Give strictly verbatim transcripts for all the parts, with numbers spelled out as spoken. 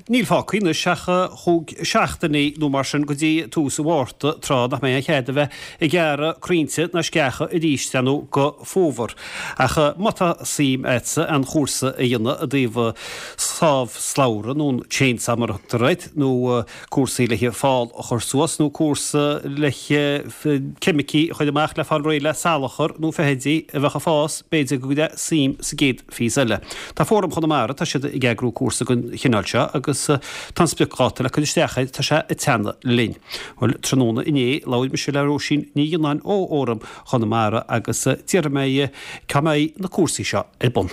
Níl fágtha anois ach chúig seachtainí nó mar sin go dtí tús an Mhárta, tráth nach mbeidh aon chead a bheith ag gearradh crainnte ná sceacha arís ar ndóigh go fómhar. Ach má tá suim agatsa an chúrsa a dhéanamh i dtaobh sábh slabhra nó an chainsaw mar a thugtar air, nó cúrsaí le fál a chur suas nó cúrsa le ceimicí a chur amach le fáil réidh le salachar nó feithidí a bheadh ag fás, b'fhéidir go gcuirfeá suim sa gcéad phíosa eile. Tá Fóram Chonamara, tá siad ag eagrú cúrsa den chineál seo agus tá an spriocdháta le cur isteach air, tá sé ag teannadh linn. Bhuel, tráthnóna inné, labhair mise le Róisín Ní Ghionnáin ó Fhóram Chonamara agus d'iarr mé di cá mbeidh na cúrsaí seo ar bun.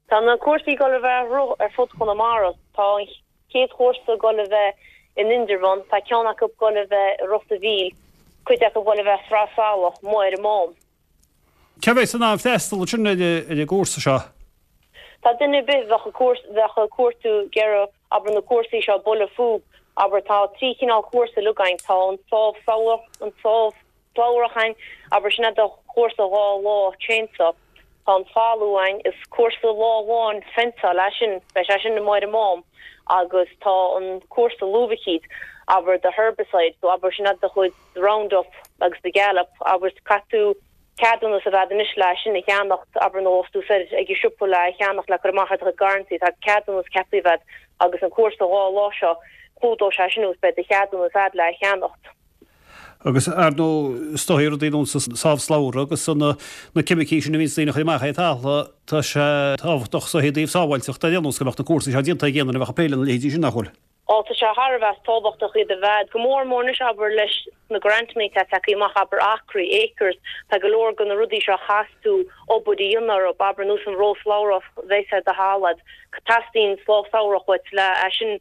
Tá na cúrsaí ag dul a bheith ar fud Chonamara. Tá an chéad chúrsa ag dul a bheith in Indreabhán, tá ceann acu ag dul a bheith i Ros a' Mhíl, cuid acu ag dul a bheith Sraith Salach, amuigh ar an Mám. Cé a bheas in ann freastal ansin ar an gcúrsa seo? Tá duine ar bith bheadh bheadh ag cuartú ag iarraidh abair na cúrsaí seo bualadh fúb abair tá trí chineál cúrsa uilig againn tá an sábh an sábh slabhrach againn abair sin é do chúrsa dhá lá chainsaw tá an fálú againn is cúrsa lá amháin fenceáil é sin beidh sé sin amuigh ar an Mám agus tá an cúrsa lúbaichíd abair do herbicide so abair sin é do chuid Roundup agus do Gallup abair caithfidh tú ceadúnas a bheith agat anois le sin a cheannacht, abair nó tú soir ag an siopa le cheannacht le cur amach ar do chuid garrantaí, tá ceadúnas ceaptha a bheith agat agus an cúrsa dhá lá seo, clúdóidh sé sin agus beidh do cheadúnas agat le cheannacht. Agus ar ndóigh is dóigh rudaí ar nós an sábh slabhra agus na ceimicí sin a bhíonns daoine a chur amach ar an talamh, tá sé tábhachtach so i dtaobh sábháilteachta ar aon nós go mbeadh na cúrsaí seo déanta ag aon duine a bheadh ag plé lena leithéidí sin, nach bhfuil? Ó, tá sé thar a bheith tábhachtach iad a bheith, go mór mór anois, abair, leis na grantannaí atá tagtha amach, abair, acraí, acres, tá go leor de na rudaí seo a chaithfeas tú obair a dhéanamh orthu, abair, nós an ró slabhrach a bheas ar do thalamh, teastaíonn sábh slabhrach uait le é sin,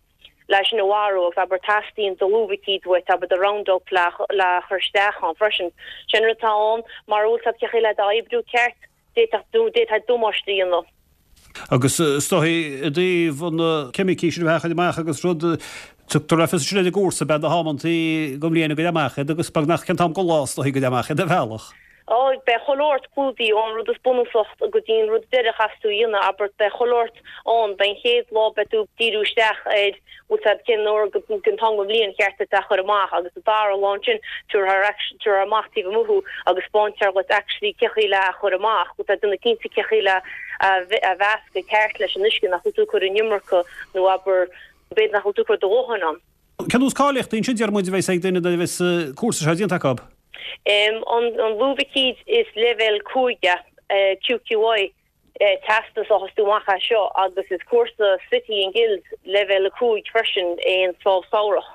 le é sin a mharú agus, abair, teastaíonn do lúbaichíd uait, abair, do Roundup le, le chur isteach ann freisin. Sin rud atá ann, mara bhfuil a fhios agat cé chaoi le iad a oibriú ceart, d'fhéadfadh, d'fhéadfá damáiste a dhéanamh. Agus is dóigh i dtaobh na ceimicí sin a bheith á chur amach agus rud, tugtar le fios ansin ar an gcúrsa, beidh na hamantaí den bhliain a gcuirfeá amach iad agus beagnach cén t-am den lá is dóigh go gcuirfeá amach iad ar bhealach. Ó, beidh chuile shórt clúdaithe ón rud is bunúsach go dtí an rud deireadh a chaithfeas tú a dhéanamh, abair, beidh chuile shórt ann, beidh an chéad lá beidh tú ag díriú isteach ar bhfuil a fhios agat cén uair den t-am den bhliain cheart duit é a chur amach agus an dara lá ansin tabharfar tabharfar amach taobh amuigh thú agus spáintear dhuit actually cé chaoi le é a chur amach, bhfuil tú ag déanamh cinnte cé chaoi le a mheascadh ceart leis an uisce nach bhfuil tú ag cur an iomarca nó abair b'fhéidir nach bhfuil tú ag cur do dhóthain ann. Cén nós cáilíochtaí ansin deir muid a bheas ag duine nuair a bheas cúrsa seo déanta acu? An an lúbaicíd is leibhéal cúig é, QQI. teastas a fhaigheas tú amach as seo agus is cúrsa City and Guilds leibhéal a cúig freisin é an sábh slabhrach.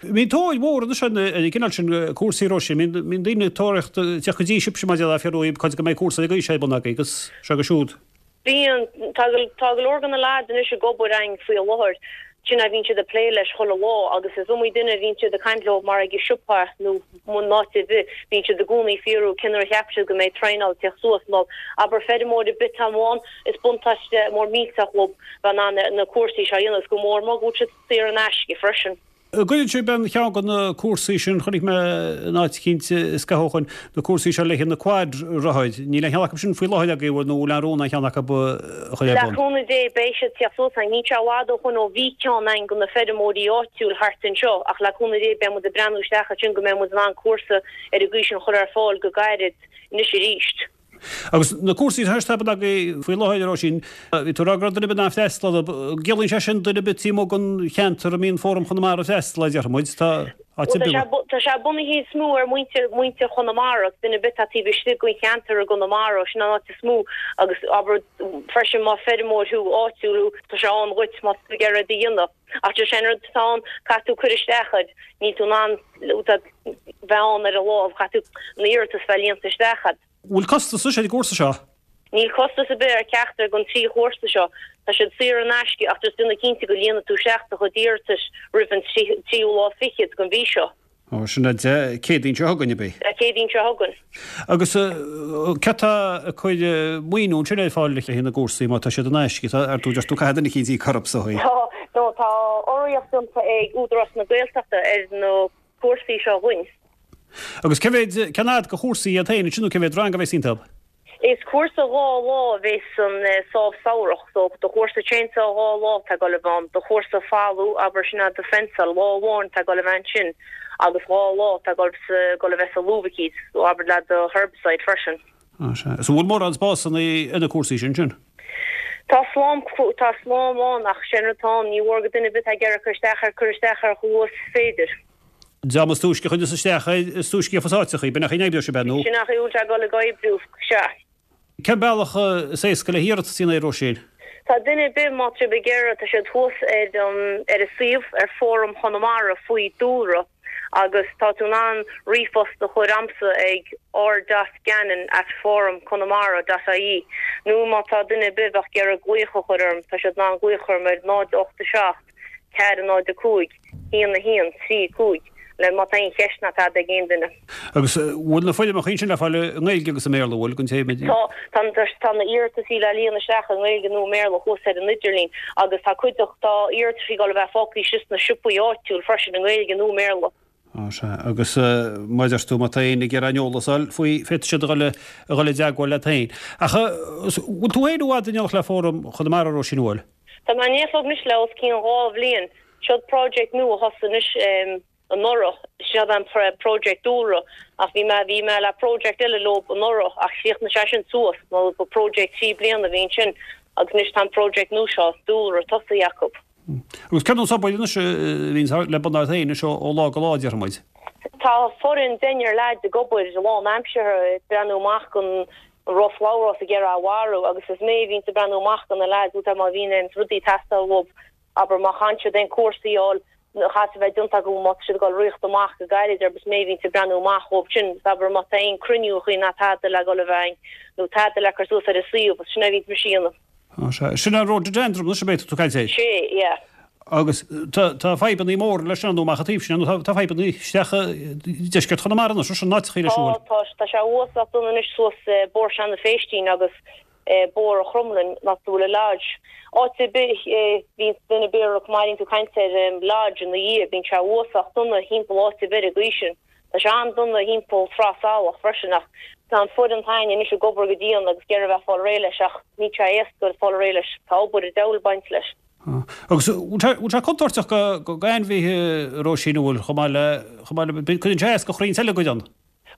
Bíonn tóir mhór anois ar an gcineál sin cúrsaí a Róisín. Bíonn daoine ag tóraíocht teacht go dtí sibhse mar a déarfá fiú go mbeidh cúrsa ag aois ar bun agaibh agus seo agus siúd. Bíonn. Tá go leor de na lads anois ag obair againn faoi láthair. Sin é bhíonn siad ag plé leis chuile lá agus is iomaí duine a bhíonn siad ag caint leo mar ag an siopa nó in áit ar bith, bíonn siad i gcónaí ag fiafraí cén uair a cheap siad go mbeidh traenáil ag teacht suas nó abair feirmeoir ar bith atá ann, is buntáiste mór millteach dhób bheith in ann na cúrsaí seo a dhéanamh agus go mór mór go bhfuil siad saor in aisce freisin. Cuireann sibh aon cheann de na cúrsaí sin, chonaic mé in áit eicínt scaitheamh ó shoin, na cúrsaí seo le haghaidh na quad rothair. Níl aon cheann acu sin faoi láthair agaibh nó bhfuil aon rún aon cheann acu a chur ar Le bun? cúnamh Dé beidh siad ag teacht suas againn. Níl sé i bhfad ó shoin ó bhí ceann againn do na feirmeoirí áitiúil thart anseo ach le cúnamh Dé beidh muid ag breathnú isteach ansin go mbeidh muid in ann cúrsa ar an gcaoi sin a chur ar fáil go gairid anois arís. Agus na cúrsaí atá ar bun agaibh faoi láthair, a Róisín, bhí tú ag rá go raibh duine ar bith in ann freastal orthu. Ciallaíonn sé sin duine ar bith taobh amuigh den cheantar a mbíonn Fóram Chonamara ag freastal air, déarfaidh muid. Tá áit ar bith. Tá sé bunaithe is mó ar mhuintir mhuintir Chonamara, duine ar bith atá taobh istigh den cheantar i gConamara, sin an áit is mó agus abair freisin má feirmeoir thú áitiúil thú, tá sé ann dhuit má tá tú ag iarraidh é a dhéanamh. Ach just sé an rud atá ann, caithfidh tú cur isteach air, níl tú in ann bheith ann ar an lá, caithfidh tú an iarratas bheith líonta isteach agat. Bhfuil costas ar an gcúrsa seo? Níl costas ar bith ar cheachtar den trí chúrsa seo. Tá siad saor in aisce ach just déanamh cinnte go líonann tú isteach do chuid iarratais roimh an tríú lá fichead den mhí seo. Ó, sin é Dé Céadaoin seo chugainn, ab é? Dé Céadaoin seo chugainn. Agus cé atá ag cur maoiniú ansin ar fáil le haghaidh na gcúrsaí má tá siad in aisce? Tá, ar dúirt tú, caithfidh duine eicínt íoc orthu, is dóigh. Tá, nó tá urraíocht déanta ag Údarás na Gaeltachta ar na cúrsaí seo dhúinn. Agus cé mhéad, cén fhad de chúrsaí iad féin ansin nó cé mhéad rang a bheas iontu? Is cúrsa dhá lá a bheas san sábh samhradh, so do chúrsa chainsaw dhá lá tá ag dul a bheith ann, do chúrsa falú abair sin do fensáil lá amháin tá ag dul a bheith ansin agus dhá lá tá ag dul a bheith sa luibhicíd, so abair le do herbicide freisin. Ah sea. So bhfuil mórán spásanna ar na cúrsaí sin sin? Tá slám tá slám ann ach sin rud atá ann, ní mhór go duine ar bith atá ag iarraidh cur isteach air cur isteach air chomh luath is féidir. Dream is túisce a chuireas isteach air, is túisce a gheofas áiteachaí, b'in é an chaoi a n-oibreoidh sé, ab ea, nó? Sin é an chaoi a bhfuil sé ag dul ag oibriú, sea. Cén bealach is éasca le hiarratas a dhéanamh air, Róisín? Tá duine ar bith, má tá sibh ag iarraidh, tá siad thuas ar ar an suíomh, ar Fóram Chonamara faoi Dúlra agus tá tú in ann ríomhphost a chur a'msa ag r dot gannon at forumconamara dot ie nó má tá duine ar bith a bheadh ag iarraidh glaoch a chur orm, tá siad in ann glaoch a chur orm ar náid ocht a seacht ceathair náid a cúig, haon a haon, trí cúig, le má tá aon cheist ná tada ag aon duine. Agus bhfuil na foirmeacha sin le fáil i nGaeilge agus i mBéarla, bhfuil, don té a. Tá, tá, tá na iarrataisí le líonadh isteach i nGaeilge nó i mBéarla thuas ar an idirlíon agus tá cuid de, tá iarrataisí ag dul a bheith fágtha síos sna siopaí áitiúil freisin i nGaeilge nó i mBéarla. Á, sea. Agus mar a deir tú, má tá éinne ag iarraidh aon eolas a fháil faoi, féadfaidh siad a dhul, a dhul i dteagmháil leat féin. Ach bhfuil tú féin i bhfad in éineacht le Fóram Chonamara, Róisín, an bhfuil? Tá mé in éineacht leo anois le os cionn dhá bhliain. Seod project nua a thosaigh anois anuraidh. Seod an project dúlra ach bhí mé bhí mé le project eile leo anuraidh ach chríochnaigh sé sin suas nó ba project trí bliana a bhí ansin agus anois tá an project nua seo, dúlra, tosaithe acu. Agus cén nós obair anois a bhíonn le bun ort féin anois ó lá go lá, déarfaidh muid? Tá foireann deichniúr leaids ag obair lánaimseartha ag breathnú amach don roth slabhra ag iarraidh a mharú agus is mé a bhíonns ag breathnú amach do na leaids úd má bhíonn aon rudaí ag teastáil uathu, abair má chaitheann siad aon cúrsaí a fháil a chaithfidh a bheith déanta acu má tá siad ag dul ritheacht amach go gairid abair is mé a bhíonns ag breathnú amach dhóibh sin is abair má tá aon cruinniúchaí ná tada le dhul a bheith a'inn nó tada le cur suas ar an suíomh is sin é a bhíonns mise a dhéanamh. Á sea. Sin an rhododendron anois ab é atá tú ag caint air? Sé, yeah. Agus tá tá fadhbannaí móra leis sin nó amach an taobh sin nó tá tá fadhbannaí isteach i deisceart Chonamara anois sin áiteachaí leis an Tá tá tá sé uafásach dona anois suas Bóthar Sheanadh Phéistín agus Bóthar an Chromghlinn nach bhfuil a lodge. Áit ar bith bhíonn duine ar bith má airíonn tú caint ar lodge ina dhiaidh bíonn sé uafásach dona thimpeall áit ar bith ar an gcaoi sin. Tá sé an-dona thimpeall Srath Salach freisin ach tá an foireann a'inn anois ag obair go dian agus ag iarraidh a bheith fáil réidh leis ach níl sé éasca fáil réidh leis. Tá obair an diabhail ag baint leis. Agus bhfuil sé contúirteach go ainmhithe, a Róisín, an bhfuil, chomh maith le, chomh maith le, cuireann sé as go chrainn eile go dtéann?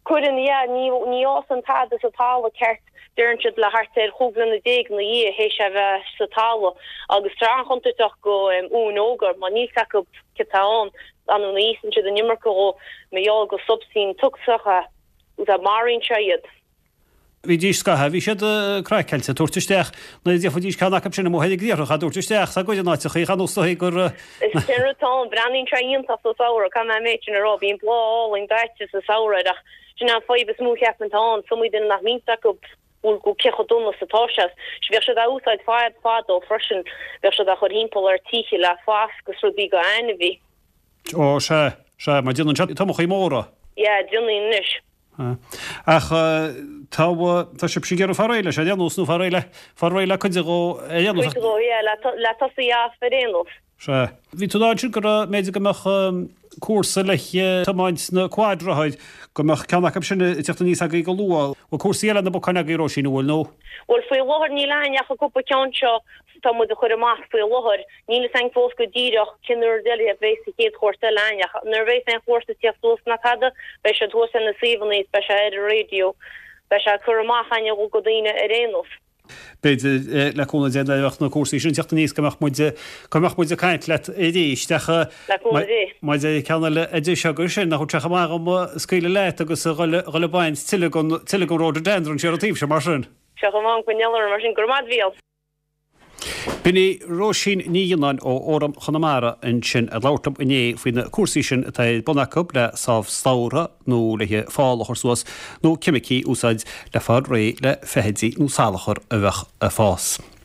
Cuireann, yeah. Ní, ní fhásann tada sa talamh ceart, deireann siad, le thart ar chúig bliana déag ina dhiaidh théis é bheith sa talamh agus tá sé an-chontúirteach go uain óga mar níl 's acu cad tá ann, an ní íosann siad an iomarca dhó mar gheall gur substaint tocsach é, maraíonn sé iad. Bhídís scaitheamh, bhí siad craiceáilte, tabhairt isteach, nuair a d'fhéachfaidís ceann acu sin amuigh ar an gcriathrach, á dtabhairt isteach sa gcuid in áiteachaí, chan úsáidfí gur. Is sin rud atá ann, breathnaíonn sé iontach sa samhradh, caithfidh mé an méid sin a rá, bíonn bláth álainn daite sa samhradh air ach sin an fadhb is mó a cheapaim atá ann, is iomaí duine nach mbíonn 's acu bhfuil go cé chomh dona is atá sé. Bheadh siad á úsáid fad fadó freisin, bheadh siad á chur thimpeall ar tithe le fasc is rudaí go ainmhí. Ó, sea, sea, mar déanann siad tomachaí móra. Yeah, déanann anois. Ach tá, tá sibhse ag iarraidh fáil réidh leis ar aon nós, nó fáil réidh le, fáil réidh le cuid de dhó ar aon nós. Cuid de dhó, yeah, le, le tosaí as ar aon nós. Sea. Bhí tú ag rá ansin go raibh, mb'fhéidir go mbeadh cúrsa le tiomáint na quadrothair, go mbeadh ceann acu sin ag teacht aníos agaibh go luath. Bhfuil cúrsaí eile ar na bacáin agaibh, Róisín, an bhfuil, nó? Bhuel, faoi láthair níl a'inn ach an cúpla ceann seo tá muid a chur amach faoi láthair. Níl fhios a'inn fós go díreach cén uair eile a bheas an chéad chúrsa eile a'inn ach nuair a bheas aon chúrsa ag tíocht suas ná tada, beidh siad thuas ar na suíomhanna is beidh sé ar an raidió. Beidh sé curtha amach a'inn go daoine ar aon nós. B'fhéidir, le cúnamh Dé, nuair a bheadh na cúrsaí sin ag teacht aníos go mbeadh muid, go mbeadh muid ag caint leat arís ach Le cúnamh Dé. maidir le ceann eile a deis agaibh sin, nach bhfuil sé chomh maith dhom scaoileadh leat agus a dhul, a dhul ag baint tuilleadh den, tuilleadh den rhododendron siar an taobh seo mar sin. Seo chomh maith, coinneáil orm mar sin. Go raibh maith a'd, a Mhícheáil. B'in í Róisín Ní Ghionnáin ó Fhóram Chonamara ansin ag labhairt liom inné faoi na cúrsaí sin atá ar bun acu le sábh slabhra nó le fál a chur suas nó ceimicí a úsáid le fáil réidh le feithidí nó salachar a bheadh ag fás.